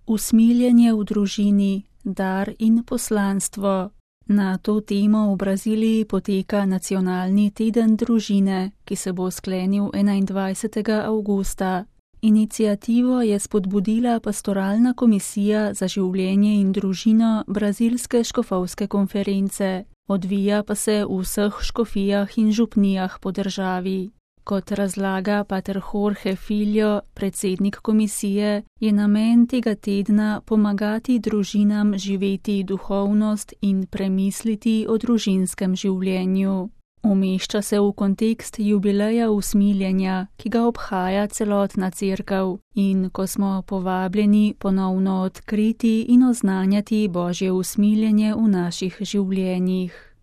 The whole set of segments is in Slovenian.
Usmiljenje v družini, dar in poslanstvo. Na to temo v Braziliji poteka nacionalni teden družine, ki se bo sklenil 21. avgusta. Iniciativo je spodbudila Pastoralna komisija za življenje in družino Brazilske škofovske konference, odvija pa se v vseh škofijah in župnijah po državi. Kot razlaga pater Jorge Filho, predsednik komisije, je namen tega tedna pomagati družinam živeti duhovnost in premisliti o družinskem življenju. Umešča se v kontekst jubileja usmiljenja, ki ga obhaja celotna cerkev, in ko smo povabljeni ponovno odkriti in oznanjati Božje usmiljenje v naših življenjih.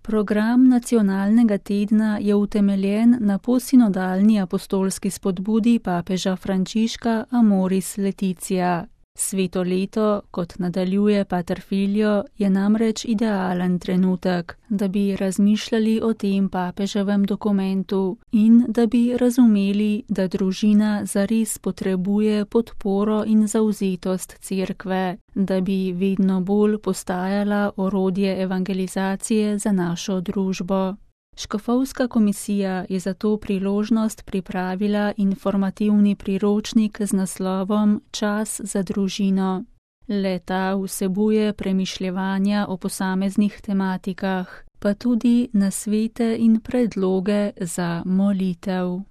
Program nacionalnega tedna je utemeljen na posinodalni apostolski spodbudi papeža Frančiška Amoris Laetitia. Sveto leto, kot nadaljuje pater Filho, je namreč idealen trenutek, da bi razmišljali o tem papeževem dokumentu in da bi razumeli, da družina zares potrebuje podporo in zavzetost cerkve, da bi vedno bolj postajala orodje evangelizacije za našo družbo. Škofovska komisija je za to priložnost pripravila informativni priročnik z naslovom Čas za družino. Le-ta vsebuje premišljevanja o posameznih tematikah, pa tudi nasvete in predloge za molitev.